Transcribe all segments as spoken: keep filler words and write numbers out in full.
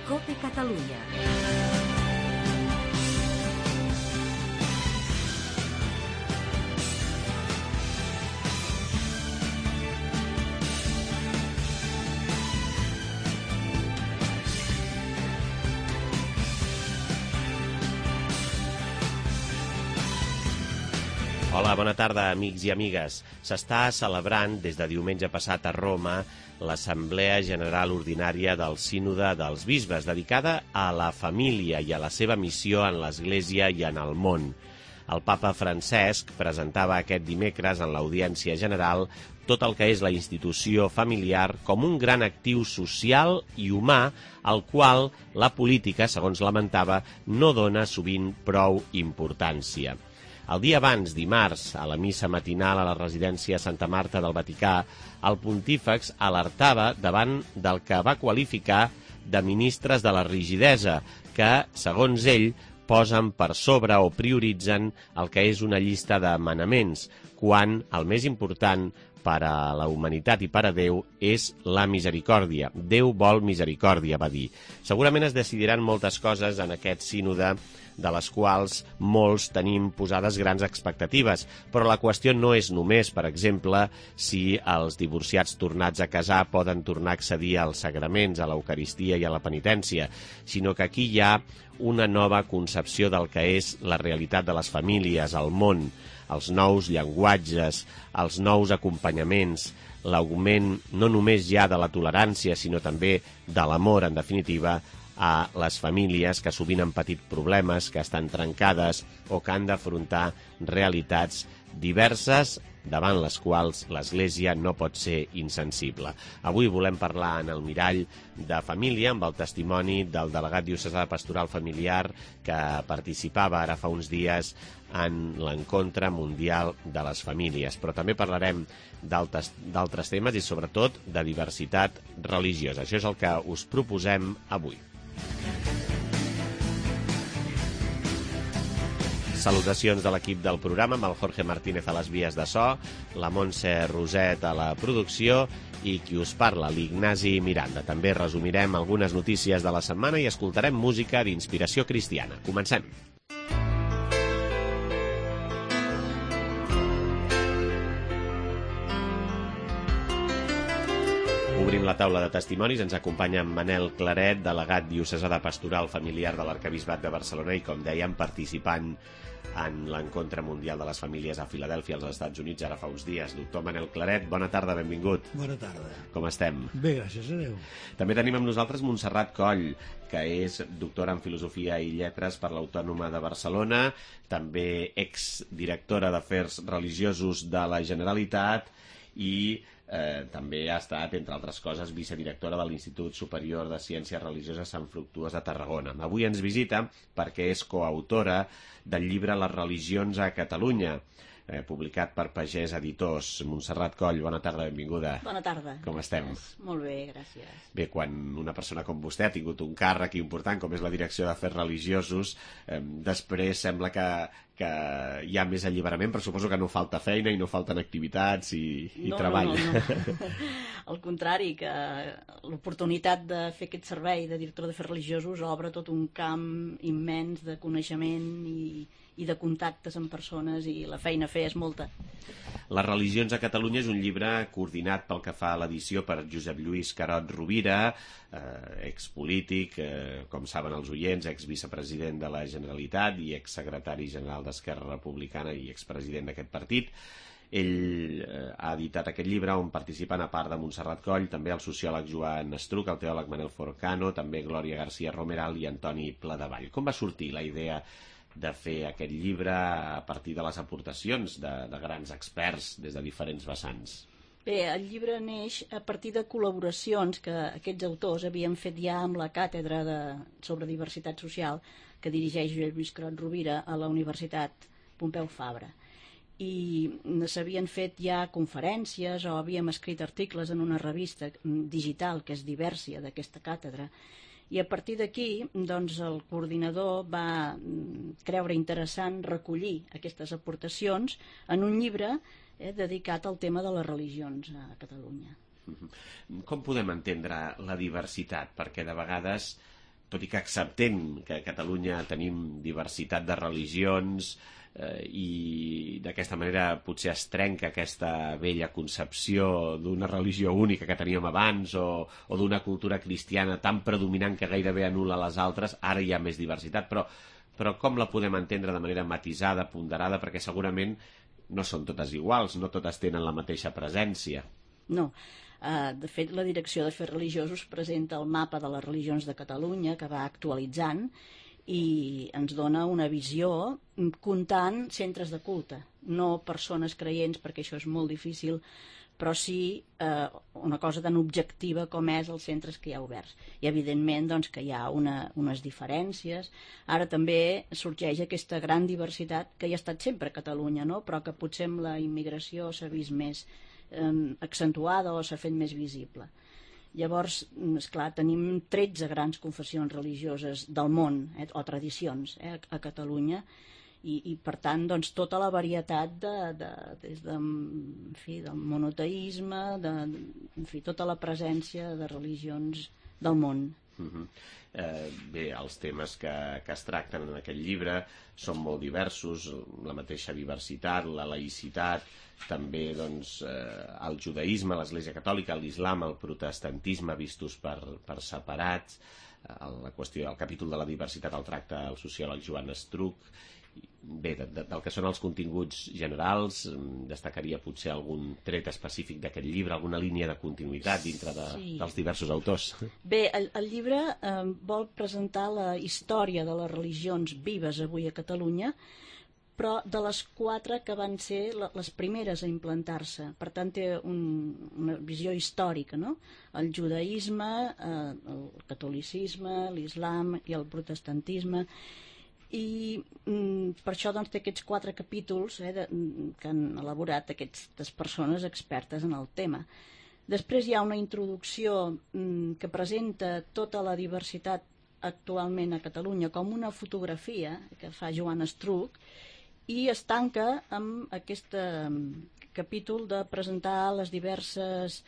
COPE Catalunya. Hola, bona tarda, amics i amigues. S'està celebrant des de diumenge passat a Roma l'Assemblea General Ordinària del Sínode dels Bisbes, dedicada a la família i a la seva missió en l'Església i en el món. El papa Francesc presentava aquest dimecres en l'Audiència General tot el que és la institució familiar com un gran actiu social i humà al qual la política, segons lamentava, no dona sovint prou importància. El dia abans, dimarts, a la missa matinal a la residència Santa Marta del Vaticà, el pontífex alertava davant del que va qualificar de ministres de la rigidesa, que, segons ell, posen per sobre o prioritzen el que és una llista de manaments, quan el més important per a la humanitat i per a Déu és la misericòrdia. Déu vol misericòrdia, va dir. Segurament es decidiran moltes coses en aquest sínode, de les quals molts tenim posades grans expectatives. Però la qüestió no és només, per exemple, si els divorciats tornats a casar poden tornar a accedir als sagraments, a l'Eucaristia i a la penitència, sinó que aquí hi ha una nova concepció del que és la realitat de les famílies, el món, els nous llenguatges, els nous acompanyaments, l'augment no només ja de la tolerància, sinó també de l'amor, en definitiva, a les famílies que sovint han patit problemes, que estan trencades o que han d'afrontar realitats diverses davant les quals l'Església no pot ser insensible. Avui volem parlar en el mirall de família amb el testimoni del delegat diocesà de Pastoral Familiar que participava ara fa uns dies en l'encontre mundial de les famílies. Però també parlarem d'altres temes i sobretot de diversitat religiosa. Això és el que us proposem avui. Salutacions de l'equip del programa amb el Jorge Martínez a les vies de so, la Montse Roset a la producció i qui us parla, l'Ignasi Miranda. També resumirem algunes notícies de la setmana i escoltarem música d'inspiració cristiana. Comencem! Obrim la taula de testimonis, ens acompanya en Manel Claret, delegat diocesà de Pastoral Familiar de l'Arquebisbat de Barcelona i, com dèiem, participant en l'encontre mundial de les famílies a Filadèlfia, als Estats Units, ara fa uns dies. Doctor Manel Claret, bona tarda, benvingut. Bona tarda. Com estem? Bé, gràcies a Déu. També tenim amb nosaltres Montserrat Coll, que és doctora en Filosofia i Lletres per l'Autònoma de Barcelona, també exdirectora d'Afers Religiosos de la Generalitat i Eh, també ha estat, entre altres coses, vicedirectora de l'Institut Superior de Ciències Religioses Sant Fructuós de Tarragona. Avui ens visita perquè és coautora del llibre Les religions a Catalunya, eh, publicat per Pagès Editors. Montserrat Coll, bona tarda, benvinguda. Bona tarda. Com estem? Molt bé, gràcies. Bé, quan una persona com vostè ha tingut un càrrec important, com és la direcció d'Afers Religiosos, eh, després sembla que, que hi ha més alliberament, però suposo que no falta feina i no falten activitats i, i no, treball. No, no, no. Al contrari, que l'oportunitat de fer aquest servei de director d'Afers Religiosos obre tot un camp immens de coneixement i, i de contactes amb persones, i la feina a fer és molta. Les religions a Catalunya és un llibre coordinat pel que fa a l'edició per Josep Lluís Carot Rovira, eh, expolític, eh, com saben els oients, exvicepresident de la Generalitat i exsecretari general d'Esquerra Republicana i expresident d'aquest partit. Ell eh, ha editat aquest llibre on participen, a part de Montserrat Coll, també el sociòleg Joan Estruc, el teòleg Manel Forcano, també Glòria García Romeral i Antoni Pladevall. Com va sortir la idea de fer aquest llibre a partir de les aportacions de, de grans experts des de diferents vessants? Bé, el llibre neix a partir de col·laboracions que aquests autors havien fet ja amb la càtedra de, sobre diversitat social que dirigeix Josep Lluís Carot Rovira a la Universitat Pompeu Fabra. I s'havien fet ja conferències o havíem escrit articles en una revista digital que és Diversia, d'aquesta càtedra, i a partir d'aquí doncs, el coordinador va creure interessant recollir aquestes aportacions en un llibre eh, dedicat al tema de les religions a Catalunya. Com podem entendre la diversitat? Perquè de vegades tot i que acceptem que a Catalunya tenim diversitat de religions eh, i d'aquesta manera potser es trenca aquesta vella concepció d'una religió única que teníem abans o, o d'una cultura cristiana tan predominant que gairebé anul·la les altres, ara hi ha més diversitat, però, però com la podem entendre de manera matisada, ponderada, perquè segurament no són totes iguals, no totes tenen la mateixa presència. No. Uh, de fet, la Direcció d'Afers Religiosos presenta el mapa de les religions de Catalunya, que va actualitzant, i ens dona una visió comptant centres de culte, no persones creients, perquè això és molt difícil, però sí eh, una cosa tan objectiva com és els centres que hi ha oberts. I evidentment doncs, que hi ha una, unes diferències. Ara també sorgeix aquesta gran diversitat que hi ha estat sempre a Catalunya, no? Però que potser amb la immigració s'ha vist més eh, accentuada o s'ha fet més visible. Llavors, esclar, tenim tretze grans confessions religioses del món, eh, o tradicions, eh, a Catalunya, i, i per tant, doncs, tota la varietat de, de, des de, en fi, del monoteisme, de, en fi, tota la presència de religions del món. Uh-huh. eh, bé, els temes que, que es tracten en aquest llibre són molt diversos, la mateixa diversitat, la laïcitat, també doncs, eh, el judaïsme, l'Església Catòlica, l'islam, el protestantisme vistos per, per separats, eh, la qüestió, el capítol de la diversitat el tracta el sociòleg Joan Estruch. Bé, de, de, del que són els continguts generals, destacaria potser algun tret específic d'aquest llibre, alguna línia de continuïtat dintre de, sí. dels diversos autors. Bé, el, el llibre eh, vol presentar la història de les religions vives avui a Catalunya, però de les quatre que van ser les primeres a implantar-se. Per tant, té un, una visió històrica, no? El judaïsme, eh, el catolicisme, l'islam i el protestantisme. I mm, per això doncs, té aquests quatre capítols eh, de, que han elaborat aquestes persones expertes en el tema. Després hi ha una introducció mm, que presenta tota la diversitat actualment a Catalunya com una fotografia que fa Joan Estruch, i es tanca amb aquest eh, capítol de presentar les diverses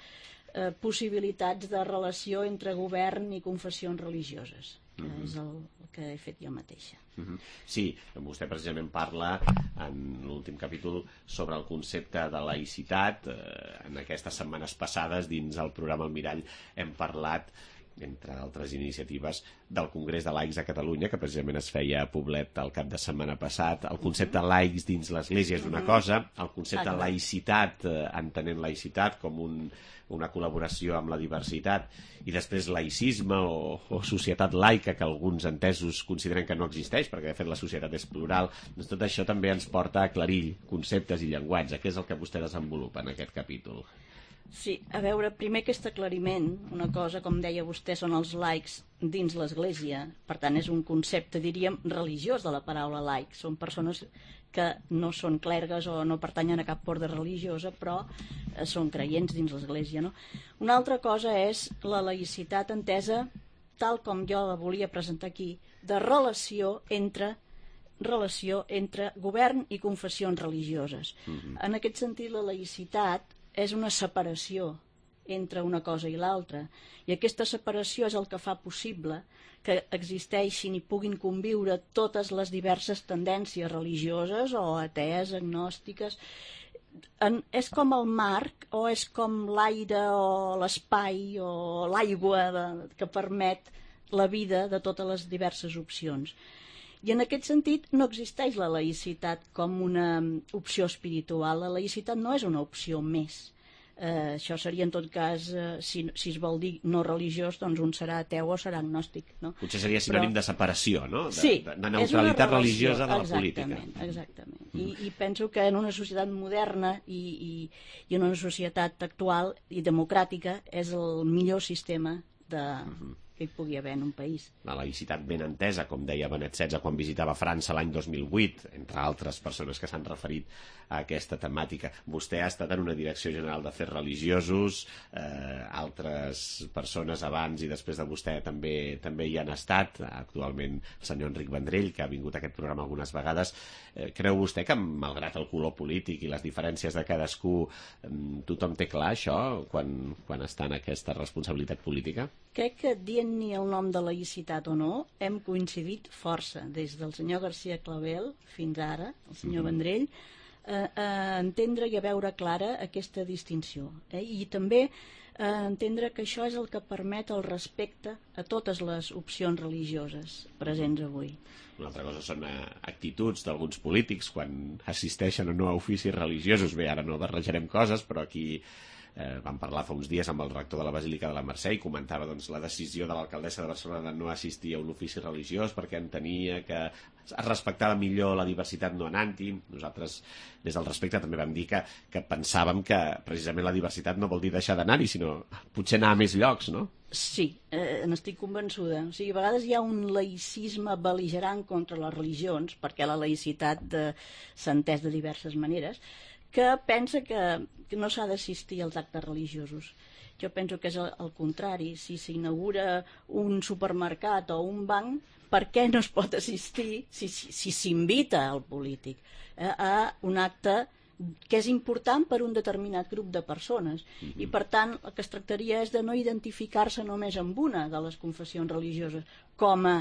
eh, possibilitats de relació entre govern i confessions religioses, que mm-hmm. és el, el que he fet jo mateixa. Mm-hmm. Sí, vostè precisament parla en l'últim capítol sobre el concepte de laïcitat. Eh, en aquestes setmanes passades dins el programa El Mirall hem parlat, entre altres iniciatives, del Congrés de Laics a Catalunya, que precisament es feia a Poblet el cap de setmana passat. El concepte laics dins l'Església és una cosa, el concepte laïcitat, eh, entenent laïcitat com un, una col·laboració amb la diversitat, i després laïcisme o, o societat laica, que alguns entesos consideren que no existeix, perquè de fet la societat és plural. Doncs tot això també ens porta a aclarir conceptes i llenguatge, que és el que vostè desenvolupa en aquest capítol. Sí, a veure, primer aquest aclariment, una cosa, com deia vostè, són els laics dins l'Església, per tant és un concepte, diríem, religiós de la paraula laic, són persones que no són clergues o no pertanyen a cap ordre religiosa, però eh, són creients dins l'Església, no? Una altra cosa és la laïcitat entesa, tal com jo la volia presentar aquí, de relació entre relació entre govern i confessions religioses. Mm-hmm. En aquest sentit, la laïcitat és una separació entre una cosa i l'altra, i aquesta separació és el que fa possible que existeixin i puguin conviure totes les diverses tendències religioses o atees, agnòstiques. En, és com el marc o és com l'aire o l'espai o l'aigua de, que permet la vida de totes les diverses opcions. I en aquest sentit no existeix la laïcitat com una opció espiritual. La laïcitat no és una opció més. Eh, això seria en tot cas, eh, si, si es vol dir no religiós, doncs un serà ateu o serà agnòstic. No? Potser seria sinònim Però... de separació, no? De, sí, de, de neutralitat religiosa de la exactament, política. Exactament. Mm. I, I penso que en una societat moderna i, i, i en una societat actual i democràtica és el millor sistema de... Mm-hmm. que hi pugui haver en un país. La laïcitat ben entesa, com deia Benet setze quan visitava França l'any dos mil vuit, entre altres persones que s'han referit a aquesta temàtica. Vostè ha estat en una direcció general d'afers religiosos, eh, altres persones abans i després de vostè també també hi han estat, actualment el senyor Enric Vendrell, que ha vingut a aquest programa algunes vegades. Eh, creu vostè que, malgrat el color polític i les diferències de cadascú, tothom té clar això quan, quan està en aquesta responsabilitat política? Crec que dient sent-ni el nom de laïcitat o no, hem coincidit força, des del senyor García Clavel fins ara, el senyor Vendrell, a, a entendre i a veure clara aquesta distinció. Eh? I també a entendre que això és el que permet el respecte a totes les opcions religioses presents avui. Una altra cosa són actituds d'alguns polítics quan assisteixen o no a oficis religiosos. Bé, ara no barrejarem coses, però aquí Eh, vam parlar fa uns dies amb el rector de la Basílica de la Mercè i comentava doncs, la decisió de l'alcaldessa de Barcelona de no assistir a un ofici religiós perquè entenia que es respectava millor la diversitat no anant-hi. Nosaltres, des del respecte, també vam dir que, que pensàvem que precisament la diversitat no vol dir deixar d'anar-hi, sinó potser anar a més llocs, no? Sí, eh, n'estic convençuda. O sigui, a vegades hi ha un laïcisme bel·ligerant contra les religions, perquè la laïcitat de, s'ha entès de diverses maneres, que pensa que, que no s'ha d'assistir als actes religiosos. Jo penso que és el, el contrari. Si s'inaugura un supermercat o un banc, per què no es pot assistir, si s'invita si, si al polític, eh, a un acte que és important per un determinat grup de persones? Mm-hmm. I per tant el que es tractaria és de no identificar-se només amb una de les confessions religioses com a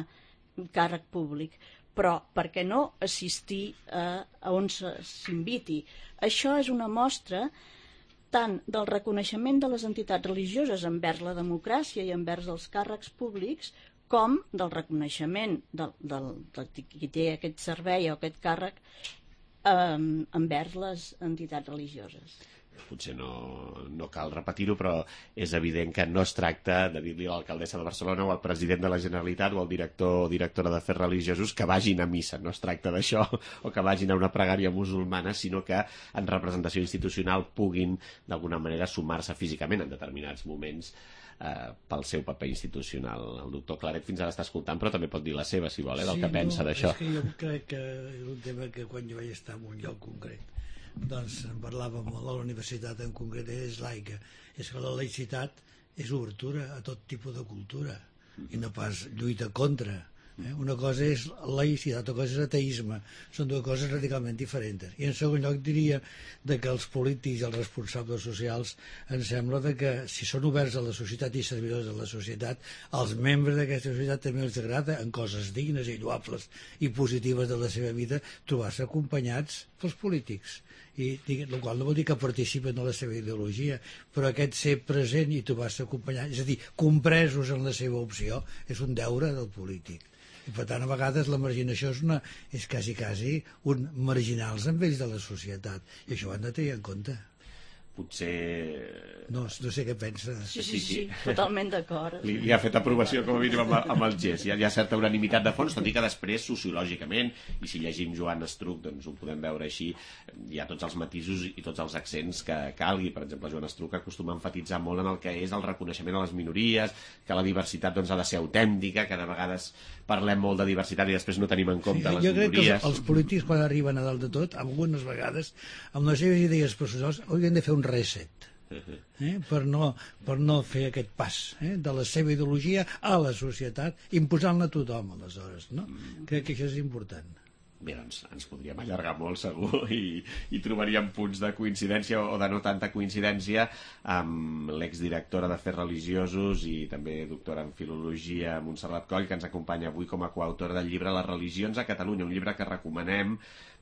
càrrec públic, però per què no assistir a, a on s'inviti? Això és una mostra tant del reconeixement de les entitats religioses envers la democràcia i envers els càrrecs públics, com del reconeixement del, del, del qui té aquest servei o aquest càrrec eh, envers les entitats religioses. Potser no, no cal repetir-ho, però és evident que no es tracta de dir-li a l'alcaldessa de Barcelona o al president de la Generalitat o al director o directora d'Afers Religiosos que vagin a missa. No es tracta d'això, o que vagin a una pregària musulmana, sinó que en representació institucional puguin d'alguna manera sumar-se físicament en determinats moments eh, pel seu paper institucional. El doctor Claret fins ara està escoltant, però també pot dir la seva, si vol, eh, del sí, que pensa no, d'això. És que jo crec que és un tema que quan jo vaig estar en un lloc concret doncs en parlàvem a la universitat en concret, és laica. És que la laïcitat és obertura a tot tipus de cultura i no pas lluita contra. Eh? Una cosa és laïcitat, altra cosa és ateisme. Són dues coses radicalment diferents. I en segon lloc diria de que els polítics i els responsables socials em sembla de que si són oberts a la societat i servidors de la societat, als membres d'aquesta societat també els agrada en coses dignes i lloables i positives de la seva vida trobar-se acompanyats pels polítics. I el qual no vol dir que participen en la seva ideologia, però aquest ser present i trobar-se acompanyat, és a dir, compresos en la seva opció, és un deure del polític. I per tant, a vegades la marginació és, una, és quasi, quasi un marginals amb ells de la societat, i això ho han de tenir en compte. Potser... No, no sé què pensa. Sí, sí, sí, totalment d'acord. Li, li ha fet aprovació, com a mínim, amb, amb el gest. Hi ha, hi ha certa unanimitat de fons, tot i que després, sociològicament, i si llegim Joan Estruc, doncs ho podem veure així, hi ha tots els matisos i tots els accents que calgui. Per exemple, Joan Estruc acostuma a enfatitzar molt en el que és el reconeixement a les minories, que la diversitat doncs, ha de ser autèntica, que de vegades parlem molt de diversitat i després no tenim en compte sí, les jo minories. Jo crec que els, els polítics, quan arriben a dalt de tot, algunes vegades, amb les seves idees personals, haurien de fer un reset. Eh? Per, no, per no fer aquest pas eh? de la seva ideologia a la societat, imposant-la a tothom, aleshores. No? Crec que això és important. Bé, doncs ens podríem allargar molt segur i, i trobaríem punts de coincidència o de no tanta coincidència amb l'exdirectora d'Afers Religiosos i també doctora en Filologia Montserrat Coll, que ens acompanya avui com a coautora del llibre Les religions a Catalunya, un llibre que recomanem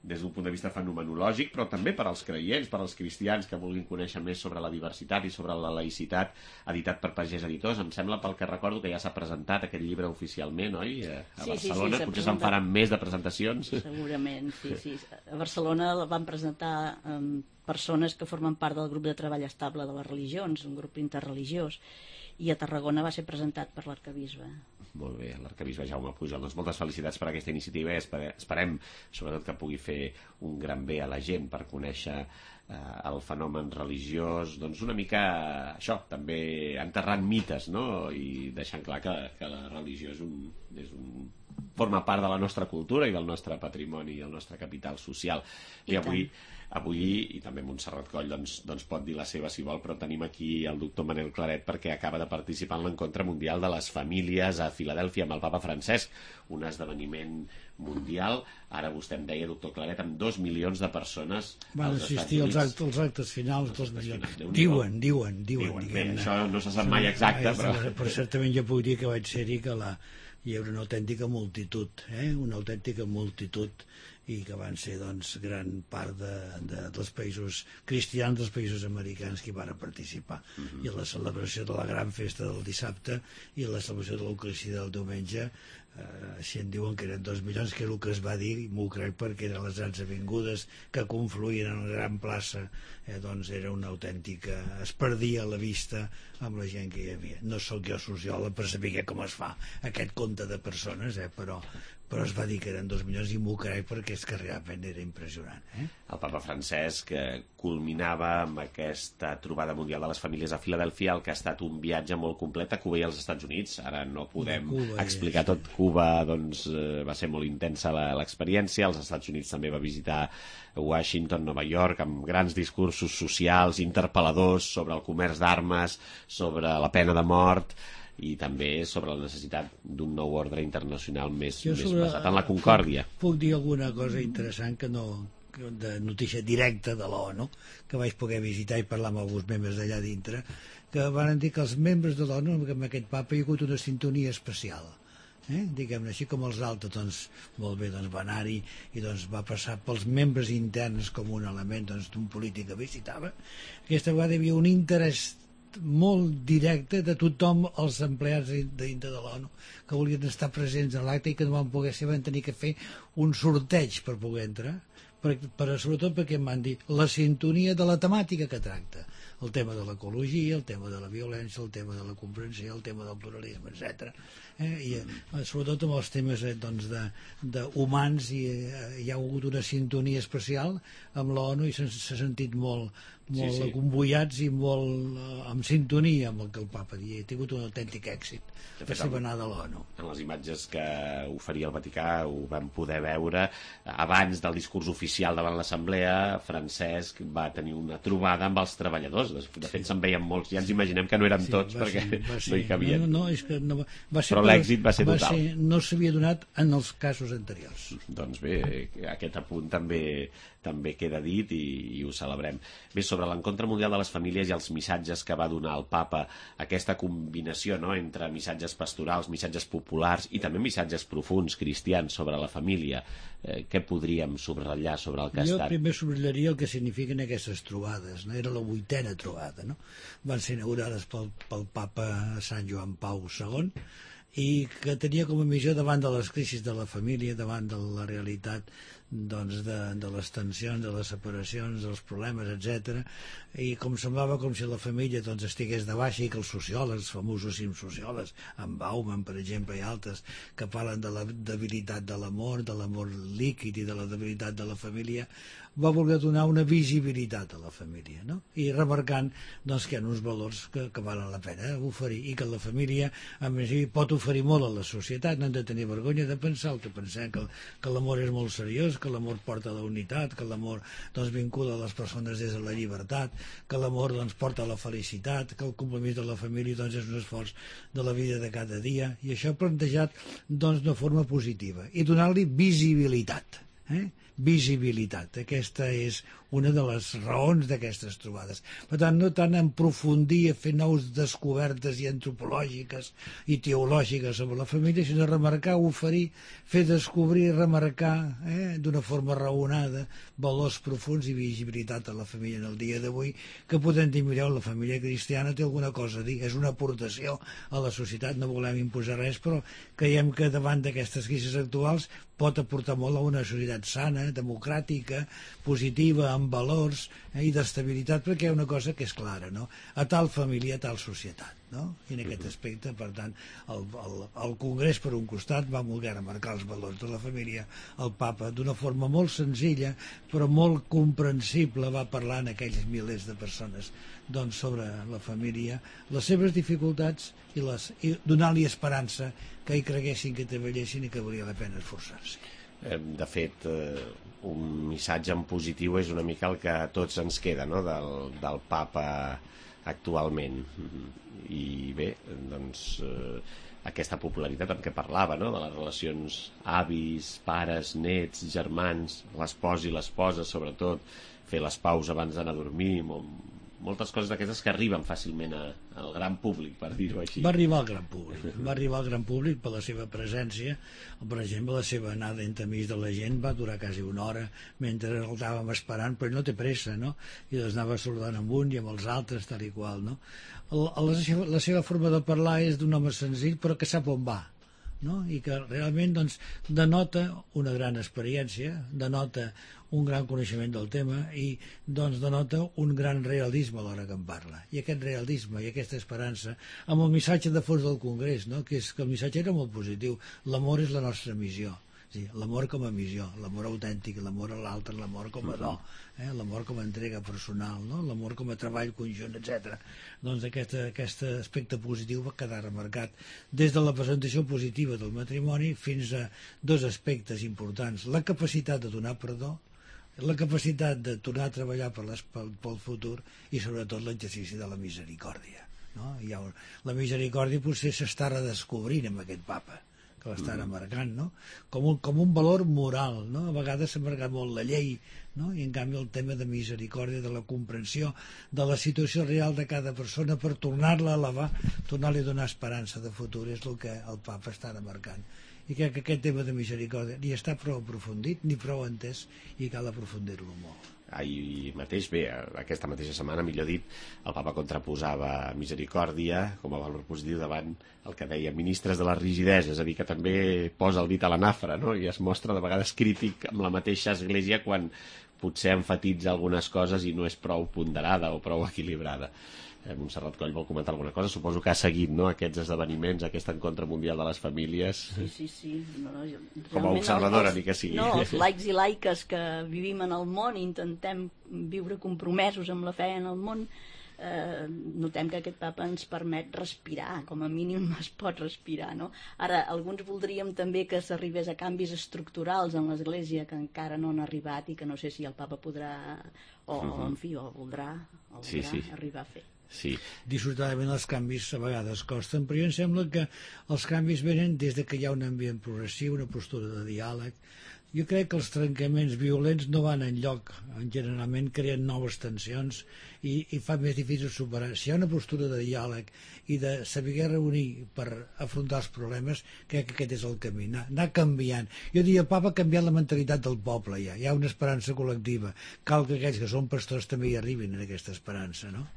des d'un punt de vista fenomenològic, però també per als creients, per als cristians que vulguin conèixer més sobre la diversitat i sobre la laïcitat, editat per Pagès Editors. Em sembla, pel que recordo, que ja s'ha presentat aquest llibre oficialment, oi? A sí, Barcelona, sí, sí, potser se'n faran més de presentacions. Segurament, sí, sí. A Barcelona la van presentar um, persones que formen part del grup de treball estable de les religions, un grup interreligiós, i a Tarragona va ser presentat per l'arquebisbe. Molt bé, l'arquebisbe Jaume Pujol. Doncs moltes felicitats per aquesta iniciativa i esperem, sobretot, que pugui fer un gran bé a la gent per conèixer eh, el fenomen religiós, doncs una mica això, també enterrant mites, no? I deixant clar que, que la religió és un, és un, forma part de la nostra cultura i del nostre patrimoni i del nostre capital social. I, I avui... Avui, i també Montserrat Coll doncs, doncs pot dir la seva si vol, però tenim aquí el doctor Manel Claret perquè acaba de participar en l'encontre mundial de les famílies a Filadèlfia amb el papa Francesc, un esdeveniment mundial. Ara vostè em deia, doctor Claret, amb dos milions de persones van als assistir Estats als Units. actes, als actes finals, dos actes milions. finals, Diuen, diuen, diuen. Diuen, bé, diguem-ne. això no se sap mai exacte, però... Però certament jo puc dir que vaig ser-hi, que la, hi havia una autèntica multitud, eh? una autèntica multitud, i que van ser doncs, gran part de, de, dels països cristians, dels països americans que hi van participar. Uh-huh. I la celebració de la gran festa del dissabte i la celebració de l'Eucaristia del diumenge, eh, així en diuen que eren dos milions, que és el que es va dir, i m'ho crec perquè eren les grans avingudes que confluïen en la gran plaça, eh, doncs era una autèntica... es perdia la vista amb la gent que hi havia. No sóc jo sociòleg per saber com es fa aquest compte de persones, eh, però, però es va dir que eren dos milions i m'ho crec perquè és que realment era impressionant. Eh? El papa Francesc que culminava amb aquesta trobada mundial de les famílies a Filadèlfia, el que ha estat un viatge molt complet a Cuba i als Estats Units. Ara no podem Cuba, explicar ja, tot. Cuba doncs, eh, va ser molt intensa l'experiència. Als Estats Units també va visitar Washington, Nova York, amb grans discursos socials, interpel·ladors sobre el comerç d'armes, sobre la pena de mort i també sobre la necessitat d'un nou ordre internacional més, més sobre, basat en la concòrdia. Puc, puc dir alguna cosa interessant que no, de notícia directa de l'ONU, que vaig poder visitar i parlar amb alguns membres d'allà dintre, que van dir que els membres de l'ONU, amb aquest papa, hi ha hagut una sintonia especial. Eh? Diguem-ne així, com els altres, doncs, molt bé, doncs, va anar-hi i doncs, va passar pels membres interns com un element doncs, d'un polític que visitava. Aquesta vegada hi havia un interès molt directe de tothom, els empleats dintre de l'ONU que volien estar presents a l'acte i que no van poder ser, van tenir que fer un sorteig per poder entrar, per, per, sobretot perquè em van dir la sintonia de la temàtica que tracta, el tema de l'ecologia, el tema de la violència, el tema de la comprensió, el tema del pluralisme, etcètera. Eh? I eh, sobretot amb els temes eh, doncs de, de humans i, eh, hi ha hagut una sintonia especial amb l'ONU i s'ha sentit molt molt sí, sí. convoiats i molt uh, en sintonia amb el que el papa dia. Ha tingut un autèntic èxit per ser venada a l'ONU. En les imatges que oferia el Vaticà ho vam poder veure abans del discurs oficial davant l'Assemblea. Francesc va tenir una trobada amb els treballadors. De fet, sí. se'n veien molts. Ja ens imaginem que no eren sí, tots perquè ser, no hi cabien. No, no, és que no, va ser Però l'èxit va ser va total. Ser, no s'havia donat en els casos anteriors. Doncs bé, aquest apunt també també queda dit i, i ho celebrem. Bé, sobre l'encontre mundial de les famílies i els missatges que va donar el papa, aquesta combinació no, entre missatges pastorals, missatges populars i també missatges profuns cristians sobre la família, eh, què podríem subratllar sobre el que ha jo estat? Jo primer subrallaria el que signifiquen aquestes trobades, no? Era la vuitena trobada, no? Van ser inaugurades pel, pel papa Sant Joan Pau segon i que tenia com a missió davant de les crisis de la família, davant de la realitat doncs de, de les tensions, de les separacions, dels problemes, etcètera. I com semblava com si la família doncs, estigués de baixa i que els sociòlegs, els famosos sociòlegs, en Bauman, per exemple, i altres, que parlen de la debilitat de l'amor, de l'amor líquid i de la debilitat de la família, va voler donar una visibilitat a la família, no? I remarcant doncs, que hi ha uns valors que, que valen la pena oferir i que la família a més pot oferir molt a la societat. No hem de tenir vergonya de pensar el que pensem, que, que l'amor és molt seriós, que l'amor porta a la unitat, que l'amor doncs, vincula les persones des de la llibertat, que l'amor doncs, porta a la felicitat, que el compromís de la família doncs, és un esforç de la vida de cada dia, i això plantejat doncs, de forma positiva i donar-li visibilitat. Eh? Visibilitat, aquesta és una de les raons d'aquestes trobades. Per tant, no tant en profundir a fer nous descobertes i antropològiques i teològiques sobre la família, sinó remarcar, oferir, fer descobrir, remarcar eh, d'una forma raonada valors profuns i visibilitat a la família en el dia d'avui, que podem dir, mireu, la família cristiana té alguna cosa a dir, és una aportació a la societat, no volem imposar res, però creiem que davant d'aquestes crisis actuals pot aportar molt a una societat sana, democràtica, positiva, amb valors eh, i d'estabilitat, perquè hi ha una cosa que és clara, no? A tal família, a tal societat, no? I en aquest aspecte, per tant, el, el, el Congrés, per un costat, va voler remarcar els valors de la família. El papa, d'una forma molt senzilla, però molt comprensible, va parlar en aquells milers de persones doncs, sobre la família, les seves dificultats i, les, i donar-li esperança que hi creguessin, que treballessin i que valia la pena esforçar-se. De fet, un missatge en positiu és una mica el que a tots ens queda, no? del, del papa actualment. I bé, doncs eh, aquesta popularitat en què parlava, no? De les relacions avis, pares, nets, germans, l'espòs i l'esposa, sobretot, fer les paus abans d'anar a dormir, moltes coses d'aquestes que arriben fàcilment a, al gran públic, per dir-ho així. Va arribar al gran públic, va arribar al gran públic per la seva presència. Per exemple, la seva anada entremig de la gent va durar quasi una hora mentre el estàvem esperant, però no té pressa, no? I les anava saludant amb un i amb els altres, tal i qual, no? La seva, la seva forma de parlar és d'un home senzill, però que sap on va, no? I que realment doncs, denota una gran experiència, denota un gran coneixement del tema i doncs denota un gran realisme a l'hora que en parla. I aquest realisme i aquesta esperança amb el missatge de fons del Congrés, no? Que és que el missatge era molt positiu. L'amor és la nostra missió. Sí, l'amor com a missió, l'amor autèntic, l'amor a l'altre, l'amor com a do, eh? L'amor com a entrega personal, no? L'amor com a treball conjunt, etcètera. Doncs aquest, aquest aspecte positiu va quedar remarcat des de la presentació positiva del matrimoni fins a dos aspectes importants: la capacitat de donar perdó, la capacitat de tornar a treballar per les, pel, pel futur i sobretot l'exercici de la misericòrdia, no? Hi ha, la misericòrdia potser s'està redescobrint amb aquest papa que l'està remarcant, no? Com un, com un valor moral, no? A vegades s'ha marcat molt la llei, no? I en canvi el tema de misericòrdia, de la comprensió de la situació real de cada persona per tornar-la a elevar, tornar-li a donar esperança de futur, és el que el papa està remarcant. I crec que aquest tema de misericòrdia ni està prou aprofundit ni prou entès i cal aprofundir-lo molt. Ahir mateix, bé, aquesta mateixa setmana, millor dit, el papa contraposava misericòrdia com a valor positiu davant el que deia ministres de la rigidesa, és a dir, que també posa el dit a la nafra, no? I es mostra de vegades crític amb la mateixa església quan potser enfatitza algunes coses i no és prou ponderada o prou equilibrada. Montserrat Coll vol comentar alguna cosa? Suposo que ha seguit, no?, aquests esdeveniments, aquest encontre mundial de les famílies. Sí, sí, sí. No, no, jo, com a observadora, ni que sigui. No, els laics i laiques que vivim en el món i intentem viure compromesos amb la fe en el món, eh, notem que aquest papa ens permet respirar, com a mínim es pot respirar, no? Ara, alguns voldríem també que s'arribés a canvis estructurals en l'Església que encara no han arribat i que no sé si el papa podrà, o, uh -huh. en fi, o voldrà, o voldrà sí, sí. arribar a fer. Sí. Dissortadament els canvis a vegades costen, però jo em sembla que els canvis venen des de que hi ha un ambient progressiu, una postura de diàleg. Jo crec que els trencaments violents no van enlloc, generalment creen noves tensions i, i fa més difícil superar. Si hi ha una postura de diàleg i de saber reunir per afrontar els problemes, crec que aquest és el camí, anar, anar canviant. Jo diria, el papa ha canviat la mentalitat del poble, ja. Hi ha una esperança col·lectiva. Cal que aquells que són pastors també hi arribin a aquesta esperança, no?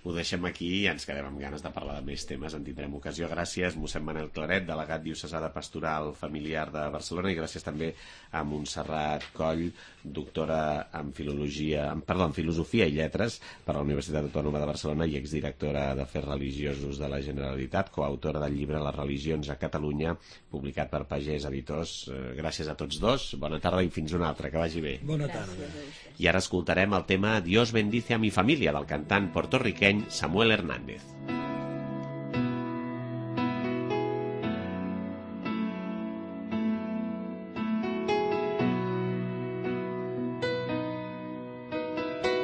Ho deixem aquí i ens quedem amb ganes de parlar de més temes. En tindrem ocasió. Gràcies, mossèn Manel Claret, delegat diocesà de Pastoral Familiar de Barcelona, i gràcies també a Montserrat Coll, doctora en filologia, en, perdó, en filosofia i lletres per la Universitat Autònoma de Barcelona i exdirectora d'Afers Religiosos de la Generalitat, coautora del llibre Les religions a Catalunya, publicat per Pagès Editors. Gràcies a tots dos, bona tarda i fins una altra, que vagi bé. Bona tarda. I ara escoltarem el tema Dios bendice a mi familia, del cantant portorriqueny Samuel Hernández.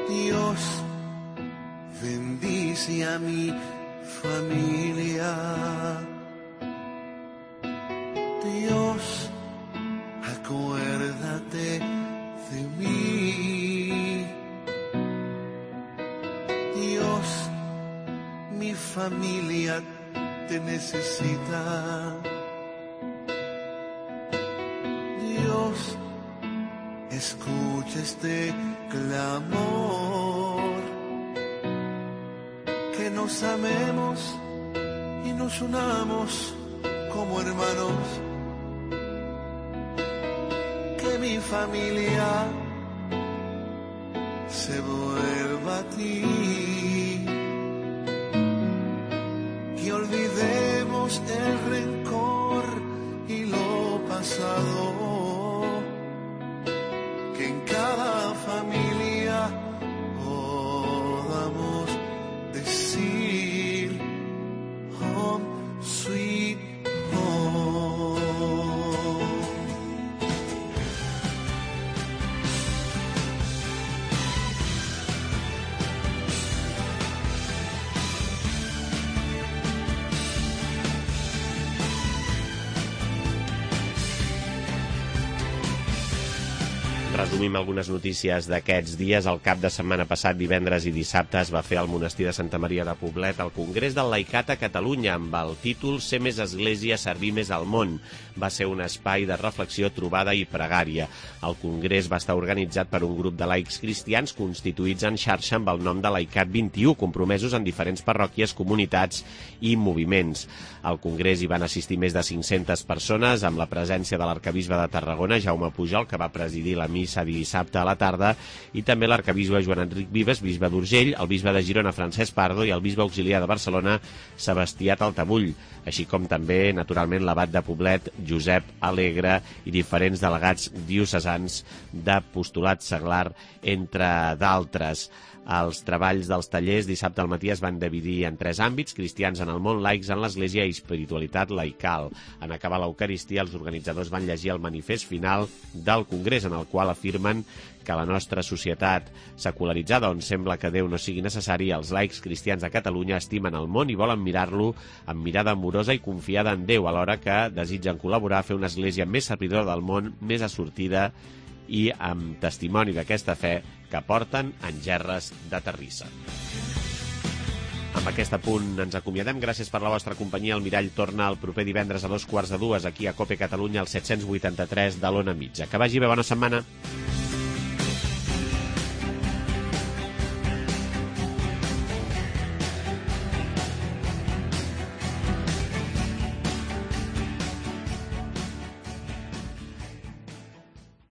Dios bendice a mi familia. Dios, acuérdate de mí. Dios, mi familia te necesita. Dios, escucha este clamor, que nos amemos y nos unamos como hermanos, que mi familia se vuelva a ti, que olvidemos el rencor y lo pasado, que en cada familia podamos decir home sweet home. Resumim algunes notícies d'aquests dies. El cap de setmana passat, divendres i dissabte, es va fer al monestir de Santa Maria de Poblet el Congrés del Laicat a Catalunya amb el títol Ser més església, servir més al món. Va ser un espai de reflexió, trobada i pregària. El congrés va estar organitzat per un grup de laics cristians constituïts en xarxa amb el nom de Laicat vint-i-u, compromesos en diferents parròquies, comunitats i moviments. Al congrés hi van assistir més de cinc-centes persones amb la presència de l'arquebisbe de Tarragona, Jaume Pujol, que va presidir la missa dissabte a la tarda, i també l'arquebisbe Joan Enric Vives, bisbe d'Urgell, el bisbe de Girona, Francesc Pardo, i el bisbe auxiliar de Barcelona, Sebastià Taltabull, així com també, naturalment, l'abat de Poblet, Josep Alegre, i diferents delegats diocesans d'apostolat seglar, entre d'altres. Els treballs dels tallers dissabte al matí es van dividir en tres àmbits: cristians en el món, laics en l'Església i espiritualitat laical. En acabar l'Eucaristia, els organitzadors van llegir el manifest final del Congrés, en el qual afirmen que la nostra societat secularitzada, on sembla que Déu no sigui necessari, els laics cristians de Catalunya estimen el món i volen mirar-lo amb mirada amorosa i confiada en Déu, alhora que desitgen col·laborar a fer una església més servidora del món, més assortida i amb testimoni d'aquesta fe que porten en gerres de terrissa. Amb aquest apunt ens acomiadem. Gràcies per la vostra companyia. El Mirall torna el proper divendres a dos quarts de dues aquí a Cope Catalunya, al set-cents vuitanta-tres de l'Ona Mitja. Que vagi bé, bona setmana.